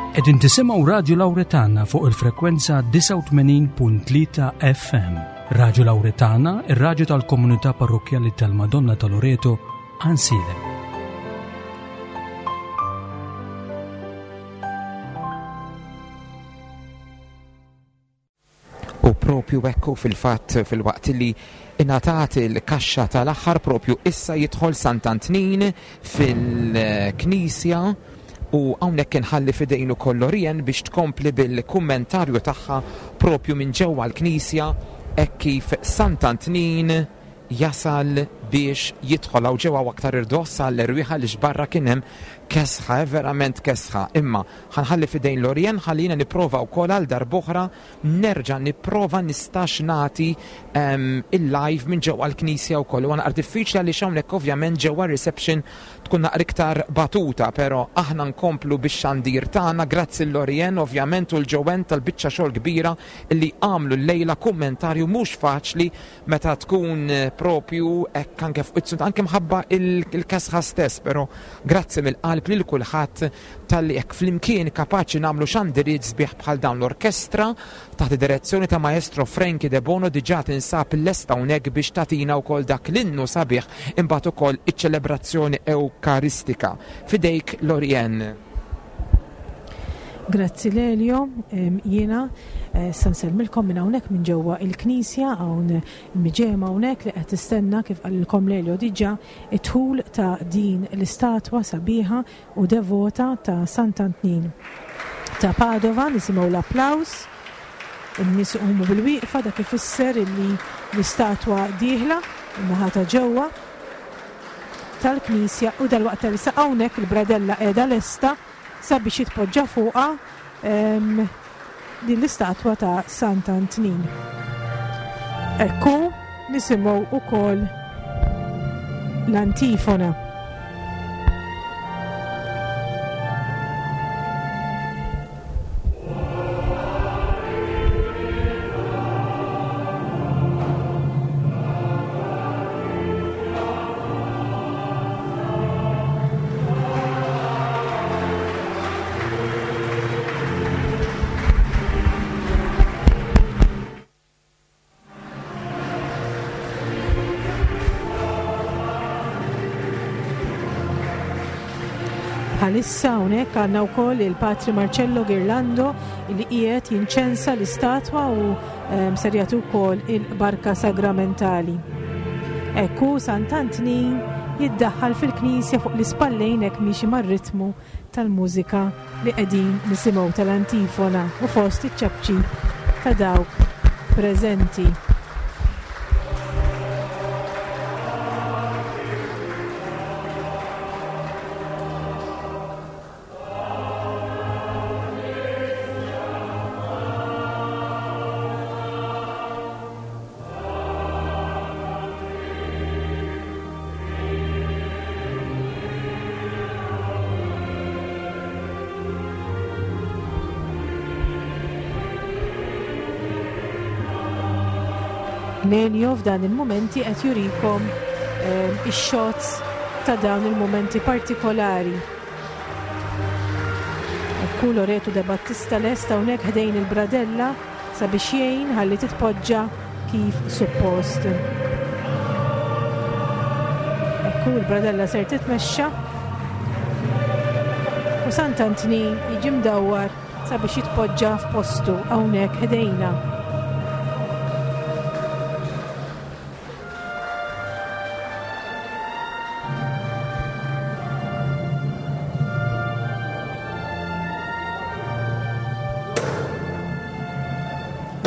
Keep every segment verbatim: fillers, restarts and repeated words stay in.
Qegħdin tisimgħu Radju Lawretana fuq il-frekwenza disgħa u tmenin punt tlieta F M. Radju Lawretana, ir-radju tal-Komunità Parrokkjali tal-Madonna ta' Loreto, Għajnsielem. U propju ekku, fil-fatt, fil-waqt li ingħatat il-kaxxa tal-aħħar, propju issa jidħol Sant'Antnin fil-Knisja u hawnhekk inħalli f'idejn ukoll Lorien biex tkompli bil-kummentarju tagħha propju minn ġewwa l-Knisja hekk kif Sant'Antnin jasal biex jidħol hawn ġewwa aktar irdoss għall-erwieħa li xbarra kien hemm kesħa, eh, verament kesħa. Imma ħa nħalli f'idejn Lorien ħallina nipprova wkoll għal darb'oħra nerġa' nipprova nistax nagħti um, il-live minn ġewwa l-Knisja wkoll. U naqra diffiċli għaliex hawnhekk ovvjament ġewwa reception tkun naqra iktar batuta, però aħna nkomplu bix-xandir tagħna. Grazzi l-Lorien ovvjament u l-ġowen tal-biċċa xogħol kbira li għamlu llejla, kummentarju mhux faċli meta tkun eh, propju hekk anke fuq anke mħabba il-kesħa stess, però grazzi mill-qalb lil kulħadd talli hekk flimkien kapaċi nagħmlu xandiriet sbieħ bħal dawn. L-orkestra taħt id-direzzjoni ta' Maestro Frankie De Bono diġà tinsab lesta hawnhekk biex tagħtina wkoll dak l-innu sabiħ, imbagħad ukoll iċ-ċelebrazzjoni Ewkaristika. F'idejk, Lorien. Grazzi Lelio, jiena eh, sa nsellmilkom minn hawnhekk minn ġewwa il-Knisja. Hawn miġemgħa hawnhekk li qed tistenna, kif qalilkom Lelio diġà, id-dħul ta' din l-istatwa sabiħa u devota ta' Sant'Antnin ta' Padova. Nisimgħu l-applaws, in-nies iqumu bil-wieqfa, dak ifisser illi l-istatwa dieħla in-naħa ta' ġewwa tal-Knisja u dal-waqt li hawnhekk il-bradella qiegħda lesta sabiex jitpoġġa fuqha din l-istatwa ta' Sant'Antnin. Ekku, nisimgħu ukoll l-antifona. Bħalissa hawnhekk għandna wkoll il-Patri Marcello Girlando li qiegħed jinċensa l-istatwa u um, ser jagħti wkoll il-barka sagramentali. Ekku Sant'Antnin jiddaħħal fil-knisja fuq l-ispallejn hekk miexi mar-ritmu tal-mużika li qegħdin nisimgħu tal-antifona u fost iċ-ċapċip ta' dawk preżenti. Lelio f'dan il-momenti qed jurikom eh, ix-shots ta' dawn il-momenti partikolari. Ekku Loreto De Battista lest hawnhekk ħdejn il-bradella sabiex jgħin ħalli titpoġġa kif suppost. Ekku il-bradella ser titmexxa u Sant'Antnin jiġi mdawwar sabiex jitpoġġa f'postu hawnhekk ħdejna.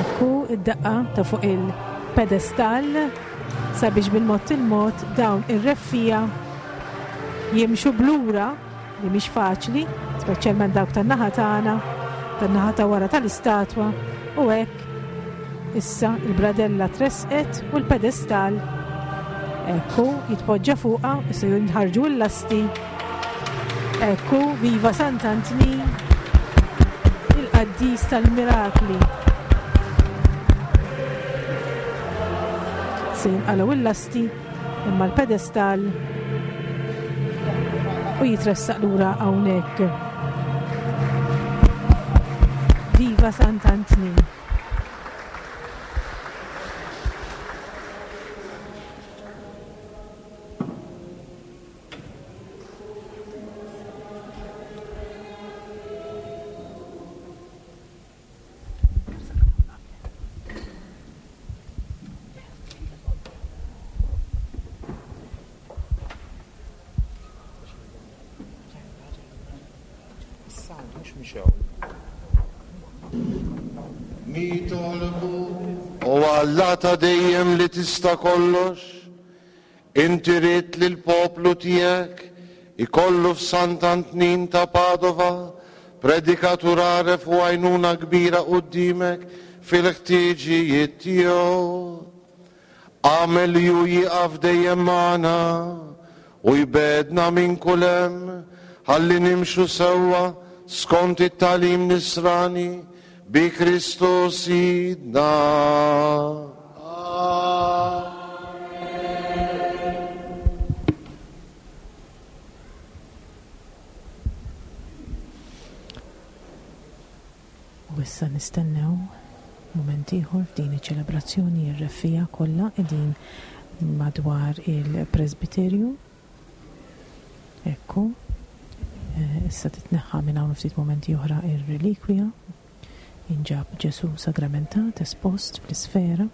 Ekku id-daqqa ta' fuq il-pedestall sabiex bil-mod il-mod dawn ir-reffiegħa jimxu b'lura, li mhix faċli, speċjalment dawk tan-naħa tagħna, tan-naħa ta' wara tal-istatwa, u hekk issa il-bradella tresqet u l-pedestall ekku jitpoġġa fuqha, issa jinħarġu l-lasti. Ekku, viva Sant'Antnin, il-qaddis tal-mirakli. Se jinqalgħu il-lasti imma l-pedestall u jitressaq lura hawnhekk. Viva Sant'Antnin! Nitolbu, o Alla ta' dejjem li tista' kollox, inti ridt li l-poplu tiegħek ikollu f'Sant'Antnin ta' Padova predikatur għaref u għajnuna kbira qudiemek fil-ħtiġijiet tiegħu. Agħmel li hu jieqaf dejjem magħna u jbegħedna minn kull hemm ħalli nimxu sewwa skont it-tagħlim nisrani bi Kristu Sidna. U issa nistennew mument ieħor f'din iċ-ċelebrazzjoni r-reffija kollha qegħdin madwar il-presbiterju. Ekku, issa titneħħa minn hawn ftit mumenti oħra ir-relikwija. Inġab Ġesu sagramentat espost fl-isfera.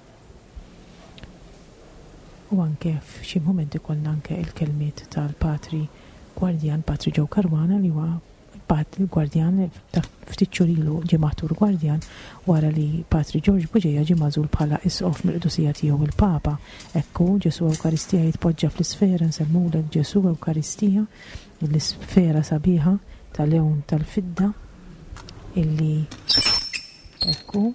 U anke f'xi mumenti kollna anke il-kelmiet tal-Patri Gwardjan, Patri Joe Caruana, li huwa Patri Gwardjan ta' ftit xhur ilu ġie maħtur Gwardjan wara li Patri George Bugeja ġie magħżul bħala isqof mill-qdusija tiegħu il-Papa. Ekku Ġesu Ewkaristija jitpoġġa fl-isfera, nsellmulek Ġesu Ewkaristija, l-isfera sabiħa tal-lewn tal-fidda illi ekku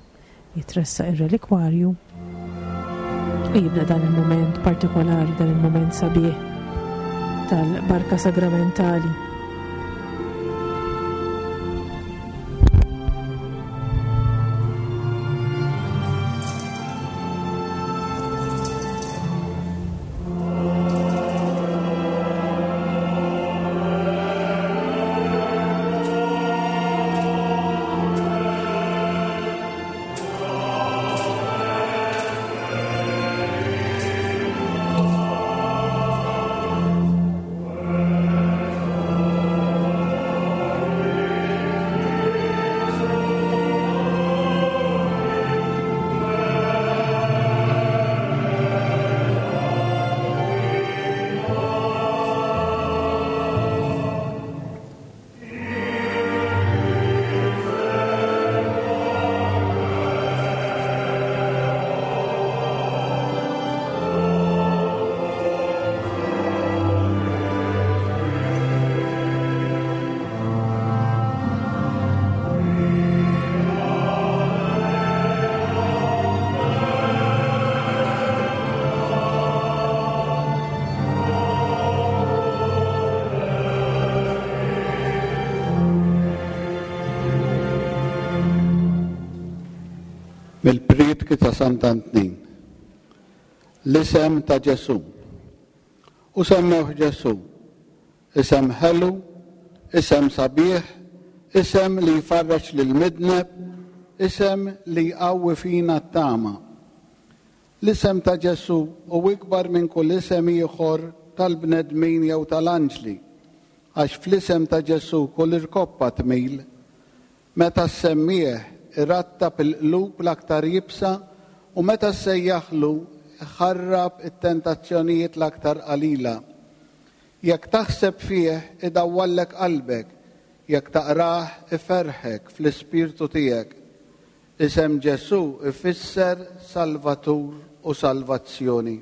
jitressaq ir-relikwarju u jibda dan il-moment partikolari, dan il-moment sabiħ tal-barka sagramentali. Mill-prietki ta' Sant'Antnin, l-isem ta' Ġesu. U semmewh Ġesu, isem ħelu, isem sabiħ, isem li jfarraġ lil midneb, isem li jqawwi fina t-tama. L-isem ta' Ġesu hu ikbar minn kull isem ieħor tal-bnedmin jew tal-anġli, għax fl-isem ta' Ġesu kull irkoppa tmil. Meta semmieħ irattab il-qlub l-aktar jibsa u meta ssejjaħlu ħarrab it-tentazzjonijiet l-aktar qalila. Jekk taħseb fih idawwallek qalbek, jekk taqrah iferħek fl-ispirtu tiegħek. Isem Ġesu ifisser Salvatur u salvazzjoni.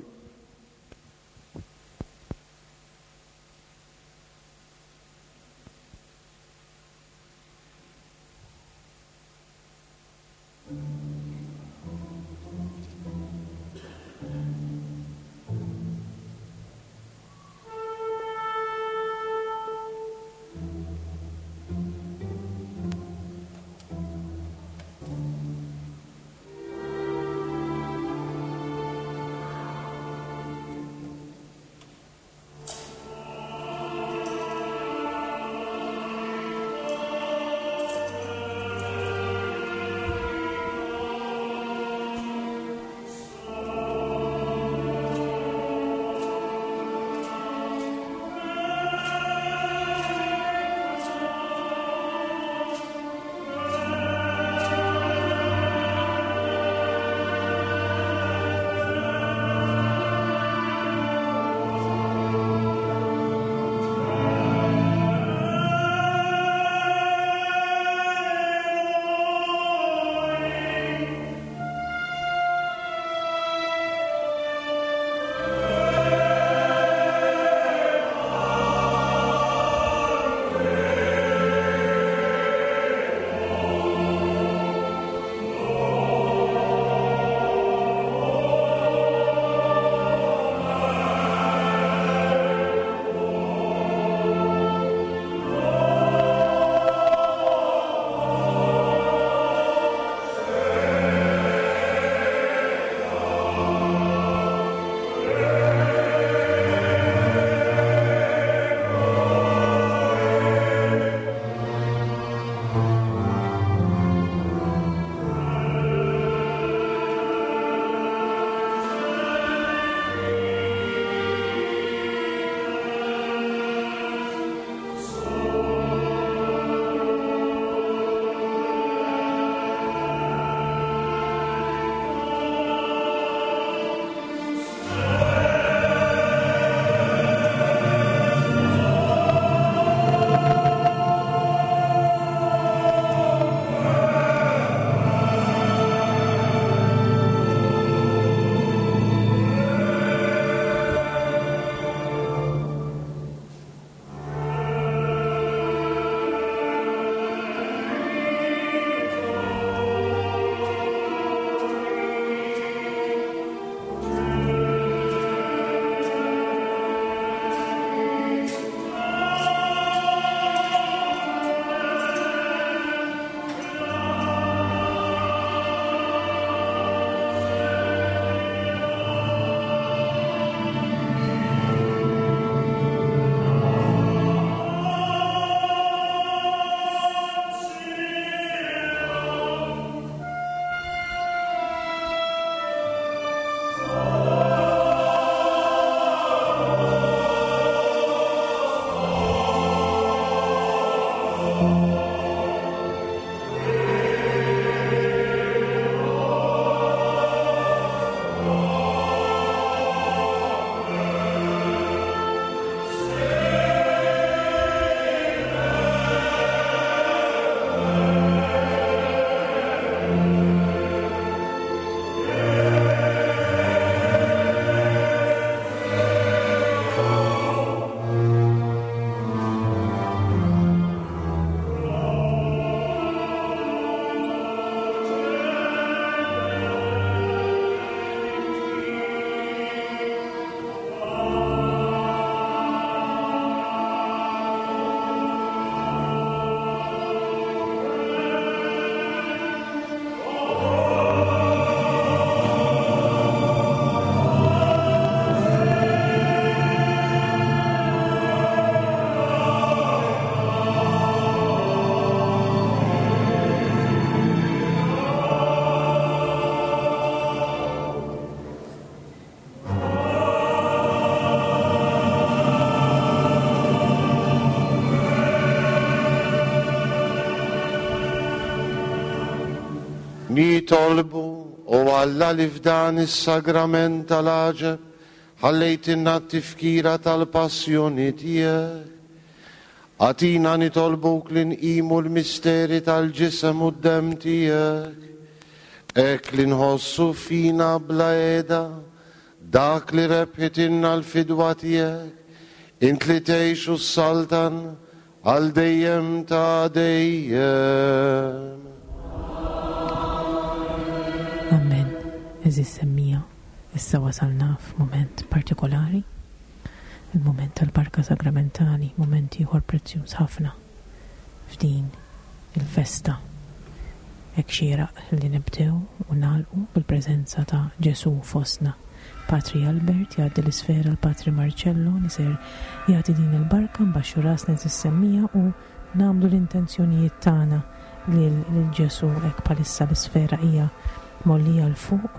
Nitolbu, o Alla li f'dan is-sagrament tal-għaġeb ħallejtilna t-tifkira tal-passjoni tiegħek. Agħtina nitolbuk li nqimu l-misteri tal-ġisem u d-demm tiegħek, hekk li nħossu fina bla qiegħda dak li rebħitilna l-fidwa tiegħek, int li tgħix u s-saltan għal dejjem ta' dejjem. Amen. Għeżież semmiegħa, issa wasalna f'mument partikolari, il-mument tal-barka sagramentali, mument ieħor prezzjuż ħafna f'din il-festa. Hekk xieraq li nibdew u nagħlqu bil-preżenza ta' Ġesù fostna. Patri Albert jgħaddi l-isfera l-Patri Marcello li ser jagħti din il-barka, nbaxxu rasna għeżież semmiegħa u nagħmlu l-intenzjonijiet tagħna lil Ġesù. Hekk bħalissa l-isfera hija mollija 'l fuq.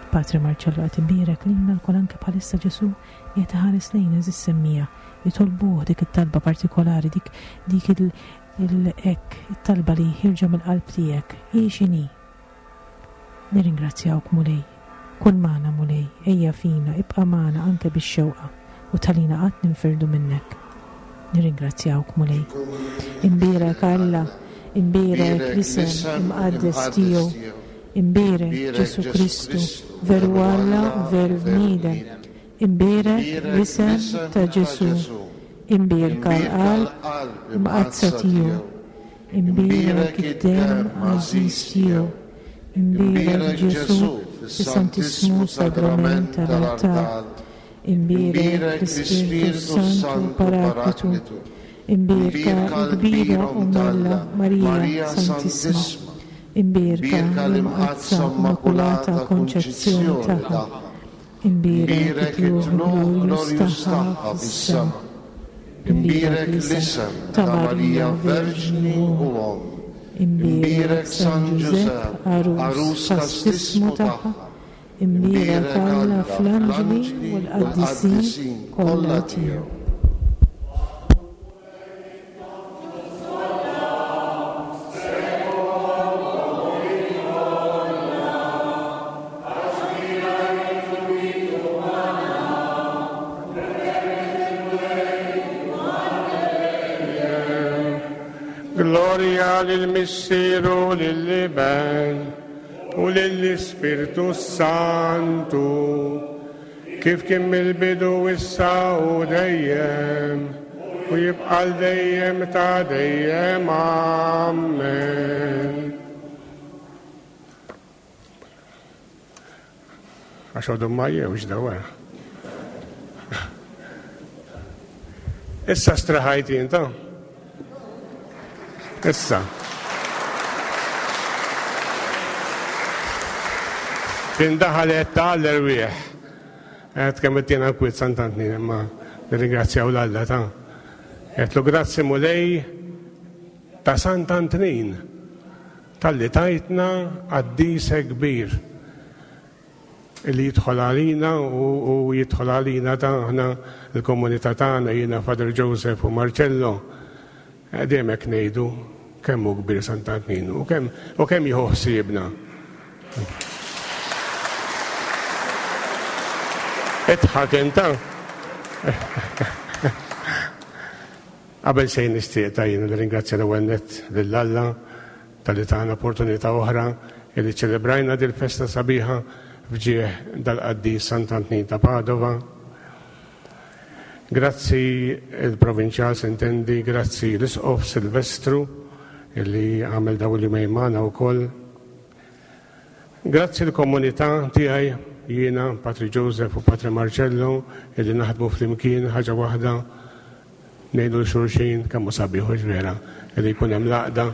Patri Marcello qed ibierek lilna lkoll, anke bħalissa Ġesù qiegħed iħares lejna għeżież semmiegħa. Jitolbuh dik it-talba partikolari, dik dik il-hekk it-talba li ħirġa mill-qalb tiegħek. Hi x'inhi? Nirringrazzjawk Mulej. Kun magħna Mulej, ejja fina, ibqa' magħna anke bix-xewqa u talina qatt ninfirdu minnek. Nirringrazzjawk Mulej. Imbierek Alla, imbierek l-isem imqaddes tiegħu. Imbierek Ġesù Kristu, veru Alla u veru bniedem. Imbierek l-isem ta' Ġesù. Imbierka l-qalb imqaddsa tiegħu. Imbierek id-demm għażiż tiegħu. Imbierek Ġesù fis-Santissmu Sagrament tal-altar. Imbierek l-Ispirtu Santu Paraklitu. Imbierka l-kbira Omm Alla Marija Santissima. Imbierka l-Imqaddsa Immakulata Konċezzjoni tagħha. Imbierek it-tlugħ glorjuż tagħha fis-sema. Imbierek l-isem ta' Marija Verġni u Omm. Imbierek San Ġużepp, għarus kastissmu tagħha. Imbierek Alla fl-anġli u l-qaddisin kollha tiegħu. Gloria lil-Missier u lill-Iben u lill-Ispirtu Santu, kif kien mill-bidu issa u dejjem u jibqa' l dejjem ta' dejjem. Amen. Għax għodhom ma jewx dawa. Issa straħajt inta. Issa. Tindaħalet ta' l-erwieħ. Għed kemm qed kwiet Sant'Antnin, imma nirringrazzjaw l-Alla ta'. Għedtlu grazzi Mulej ta' Sant'Antnin talli tajtna qaddis kbir li jidħol għalina u jidħol għalina ta' aħna l-komunità tagħna, jiena Father Joseph u Marcello. Dejjem hekk ngħidu kemm hu kbir Sant'Antnin u kemm u kemm jieħu ħsiebna. Idħak inta. Qabel xejn nixtieq ta' jiena nirringrazzja l-ewwel nett lil Alla talli tana opportunità oħra li ċelebrajna dil-festa sabiħa f'ġieħ dal-qaddis Sant'Antnin ta' Padova. Grazzi il-Provinċjal Sintendi, grazzi l-Isqof Silvestru illi għamel dawn il-jumejn magħna wkoll. Grazzi l-komunità tiegħi, jiena, Patri Joseph u Patri Marcello, illi naħdmu flimkien ħaġa waħda, ngħidu l-xulxin kemm hu sabiħ u vera illi jkun hemm l-għaqda.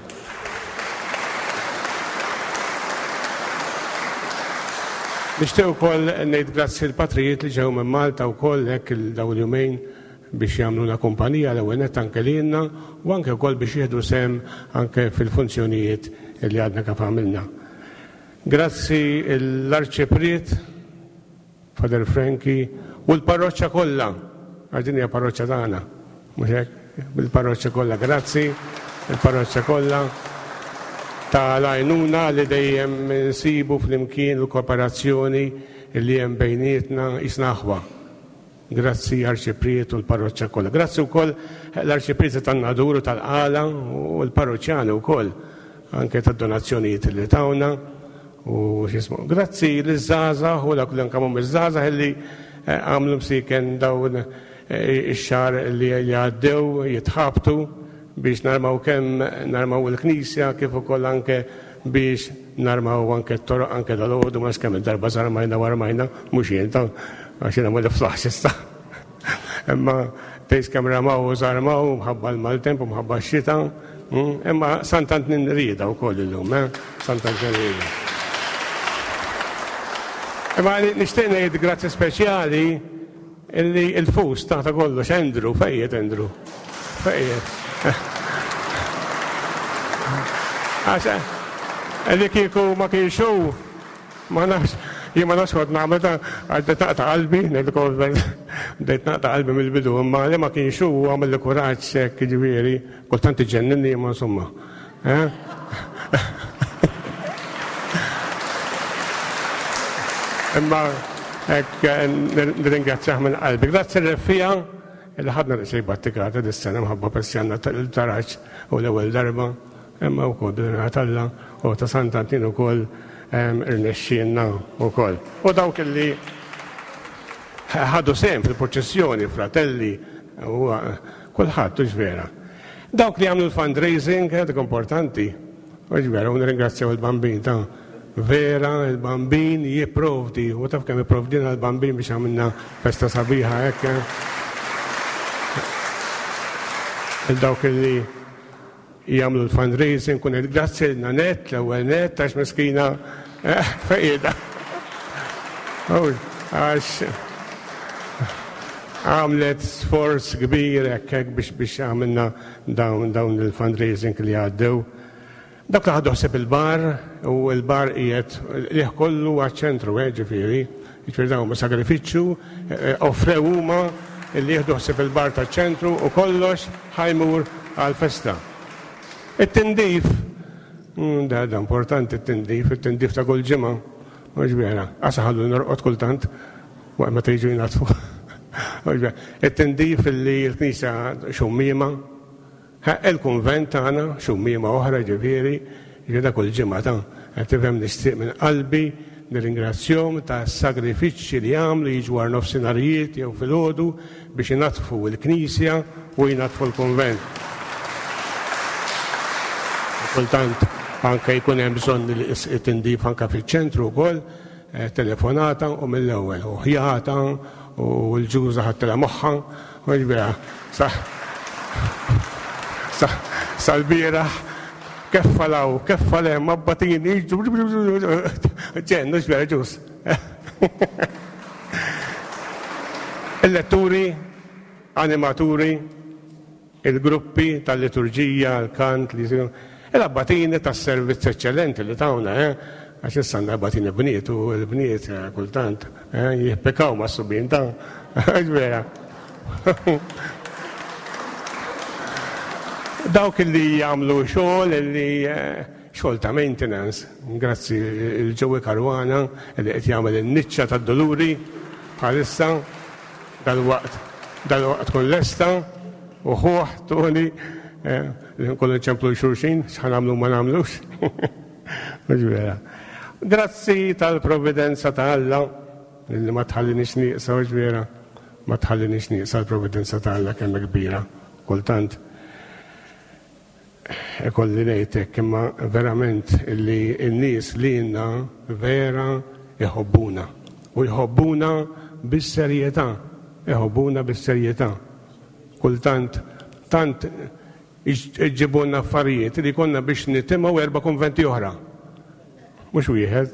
Nixtieq ukoll ngħid grazzi l-patrijiet li ġew minn Malta wkoll hekk dawn il-jumejn biex jagħmluna kumpanija l-ewwel nett anke lilna u anke wkoll biex jieħdu sehem anke fil-funzjonijiet li għadna kif għamilna. Grazzi l-Arċipriet Father Frankie u l-parroċċa kollha, għax din hija parroċċa tagħna, mhux hekk? Il-parroċċa kollha, grazzi il-parroċċa kollha tal-għajnuna li dejjem nsibu flimkien l-kooperazzjoni li hemm bejnietna jisna aħwa. Grazzi Arċipriet u l-parroċċa kollha. Grazzi wkoll l-Arċipriet tan-Nadur u tal-Qala u l-parroċjani wkoll anke tad-donazzjonijiet li tawna u x'ismu. Grazzi liż-żgħażagħ u dak li anke mhum iż-żgħażagħ li għamlu msiken dawn ix-xahar li għaddew jitħabtu biex narmaw kemm narmaw il-knisja kif ukoll anke biex narmaw anke t-toroq anke dal-għodu ma kemm il-darba żarmajna u armajna, mhux jien ta' għax jiena ma niflaħx issa. Imma tgħix kemm ramaw u żarmaw mħabba l-maltemp u mħabba x-xita, imma Sant'Antnin rieda wkoll illum, eh? Sant'Antnin rieda. Imma nixtieq ngħid grazzi speċjali illi l-fus ta' ta' kollox Andrew, fejjed Andrew. Fejjed. Għax, li kieku ma kienx hu, ma nafx, jien ma nafx kont nagħmel ta' għax bdejt naqta' qalbi, ngħidilkom bdejt naqta' qalbi mill-bidu, imma li ma kienx hu għamel li kuraġġ hekk, jiġifieri, kultant iġenninni imma insomma. Imma hekk nirringrazzjah minn qalbi. Grazzi r-Reffija li ħadna daqsxejn battikata dis-sena mħabba persjanna tal-taraġ u l-ewwel darba, imma wkoll bil-għajnuna t'Alla u ta' Sant'Antnin ukoll irnexxielna wkoll. U dawk li ħadu sehem fil-proċessjoni, fratelli, u kulħadd, hux vera. Dawk li għamlu l-fundraising, dik importanti, hux vera, u nirringrazzjaw il-Bambin ta' vera, il-Bambin jipprovdi, u taf kemm jipprovdina l-Bambin biex għamilna festa sabiħa hekk. Il-dawk li jagħmlu l-fundraising, kun qed grazzi lil Nanette, l-ewwel nett, għax miskina fejjeda. Għax għamlet sforz kbir hekk hekk biex, biex għamilna dawn, dawn il-fundraising li għaddew. Dak li ħadu ħsieb il-bar, u l-bar qiegħed liħ kollu għaċ-ċentru, eh, ġifieri, ġifieri dawn huma sagrifiċċju, eh, offrew huma li jieħdu ħsieb il-bar taċ-ċentru u kollox ħajmur għall-festa. It-tindif, mm, da, da importanti it-tindif, it-tindif ta' kull ġimgħa, mhux vera, għasa ħallu norqod kultant waqt meta jiġu jnatfu. Mhux vera. It-tindif li l-knisja xummiema, il-kunvent tagħna xummiema oħra ġifieri, ġifieri da kull ġimgħa ta' qed tifhem nixtieq minn qalbi nirringrazzjahom ta' sagrifiċċji li għamlu jiġu war nofsinharijiet jew filgħodu biex inaddfu l-knisja u jnaddfu l-kunvent. Kultant anke jkun hemm bżonn li tindif anke fiċ-ċentru wkoll, eh, telefonata u mill-ewwel, u ħjata u l-ġuża ħadtilha moħħha, u ġbira, sa, sa, sal-bieraħ keffa law, keffa lem, abbatini, ġen, mhux vera ġuż. Il-letturi, animaturi, il-gruppi tal-liturġija, l-kant, li jsiru, il-abbatini tas-servizz eċċellenti li tawna, eh? Għax issa għandna abbatini bniet u l-bniet, eh, kultant, eh, jihpekaw ma' subien ta' għax vera. Dawk li jagħmlu xogħol li xogħol ta' maintenance, grazzi il-Ġewi Karwana li qed jagħmel in-niċċa tad-Duluri bħalissa dal-waqt dal-waqt tkun lesta u ħuh Tony li nkollu nċemplu xulxin x'ħa nagħmlu ma nagħmlux. Mhux vera. Grazzi tal-provvidenza ta' Alla li ma tħallinix nieqsa, mhux vera, ma tħallinix nieqsa l-provvidenza ta' Alla kemm kbira. Kultant ikolli ngħidlek imma verament li n-nies li lilna vera iħobbuna u jħobbuna bis-serjetà, iħobbuna bis-serjetà. Kultant tant iġibulna affarijiet li konna biex nitimgħu erba' konventi oħra. Mhux wieħed.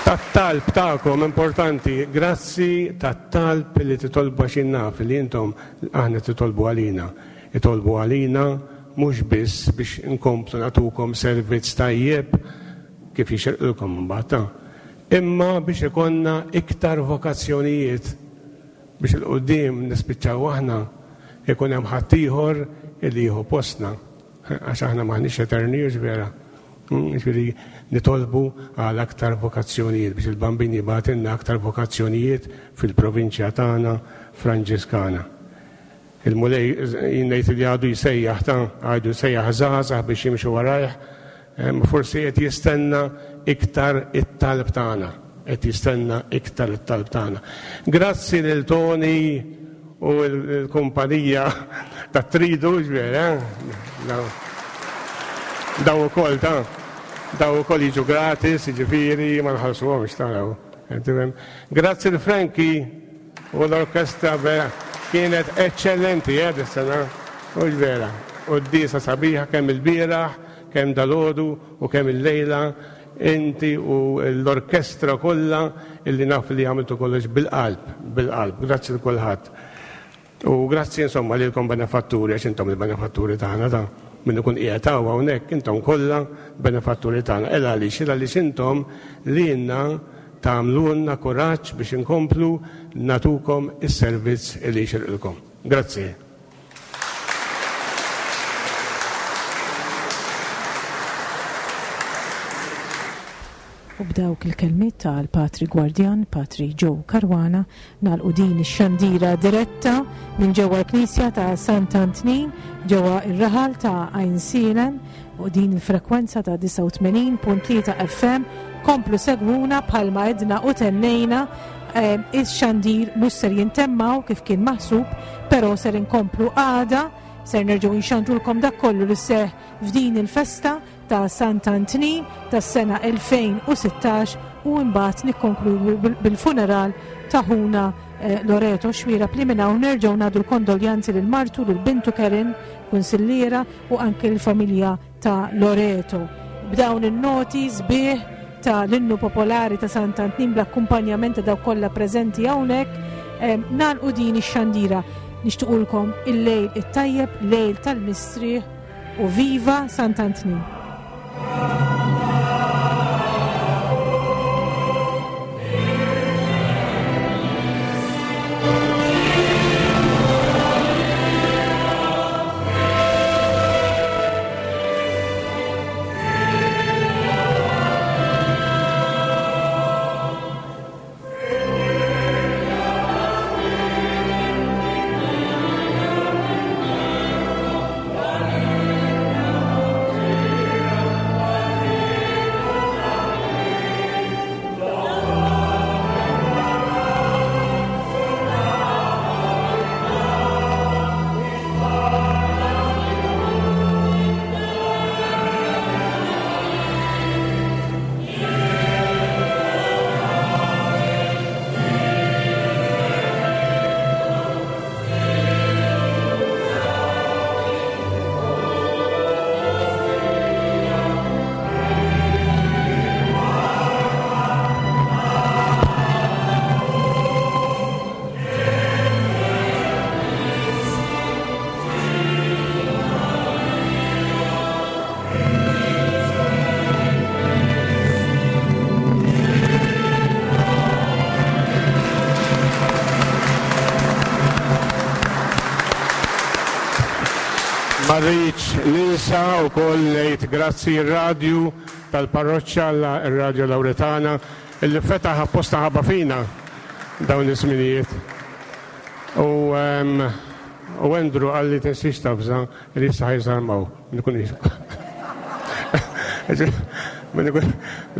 Tat-talb tagħkom importanti, grazzi tat-talb li titolbu għax naf li intom aħna titolbu għalina. Itolbu għalina mhux biss biex inkomplu nagħtukom servizz tajjeb kif jixirqilkom imbagħad, imma biex ikollna iktar vokazzjonijiet biex il-qudiem nispiċċaw aħna ikun hemm ħaddieħor li jieħu postna għax aħna m'aħniex eterni, vera. Ġifieri nitolbu għal aktar vokazzjonijiet biex il-Bambin jibgħatilna aktar vokazzjonijiet fil-provinċja tagħna Franġiskana. Il-Mulej jgħid li għadu jsejjaħ ta' għadu jsejjaħ żgħażagħ biex jimxu warajh, forsi qed jistenna iktar it-talb tagħna, qed jistenna iktar it-talb tagħna. Grazzi lil Tony u l-kumpanija ta' Tridu, ġifieri, daw ukoll ta' daw ukoll jiġu gratis, jiġifieri ma nħallsuhomx taraw. Grazzi l Franki u l-orkestra kienet eċċellenti eh dis-sena, u vera. U d-disa sabiħa kemm il-bieraħ, kemm dalodu u kemm il-lejla, inti u l-orkestra kollha illi naf li għamiltu kollox bil-qalb, bil-qalb. Grazzi l kulħadd. U grazzi insomma lilkom benefatturi, għax intom il-benefatturi tagħna ta' min ikun qiegħed hawn hawnhekk intom kollha benefatturi tagħna. El għaliex, il għaliex intom lilna tagħmlulna kuraġġ biex inkomplu natukom is-servizz li jixirqilkom. Grazzi. U b'dawk il-kelmiet tal-Patri Gwardjan, Patri Joe Caruana, nagħlqu din ix-xandira diretta minn ġewwa l-Knisja ta' Sant'Antnin ġewwa ir-raħal ta' Għajnsielem u din il-frekwenza ta' disgħa u tmenin punt tlieta F M. Komplu segwuna bħalma edna u tennejna, ix-xandir mhux ser jintemmaw kif kien maħsub, però ser inkomplu għada, ser nerġgħu nxandrulkom dak kollu li seħ f'din il-festa ta' Sant'Antnin tas-sena elfejn u sittax u mbagħad nikkonkludu bil-funeral ta' ħuna Loreto Xuereb li minn hawn nerġgħu nagħdu l-kondoljanzi lil martu, lil bintu Karen, kunsilliera, u anke l-familja ta' Loreto. B'dawn in-noti sbieħ ta' l-innu popolari ta' Sant'Antnin bl-akkumpanjament ta' dawk kollha preżenti hawnhekk, nagħlqu din ix-xandira. Nixtiequlkom il-lejl it-tajjeb, lejl tal-mistrieħ, u viva Sant'Antnin. Ma rridx ninsa wkoll ngħid grazzi r-radju tal-parroċċa, ir-Radju Lawretana, illi fetaħ apposta ħabba fina dawn iż-żminijiet. U u Andrew qalli tinsiex tavża li issa ħa jżarmaw. Nkun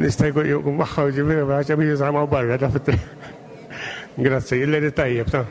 nista' jkun magħha ġifieri biex jiżarmaw barra. Grazzi, il-lejl tajjeb ta'.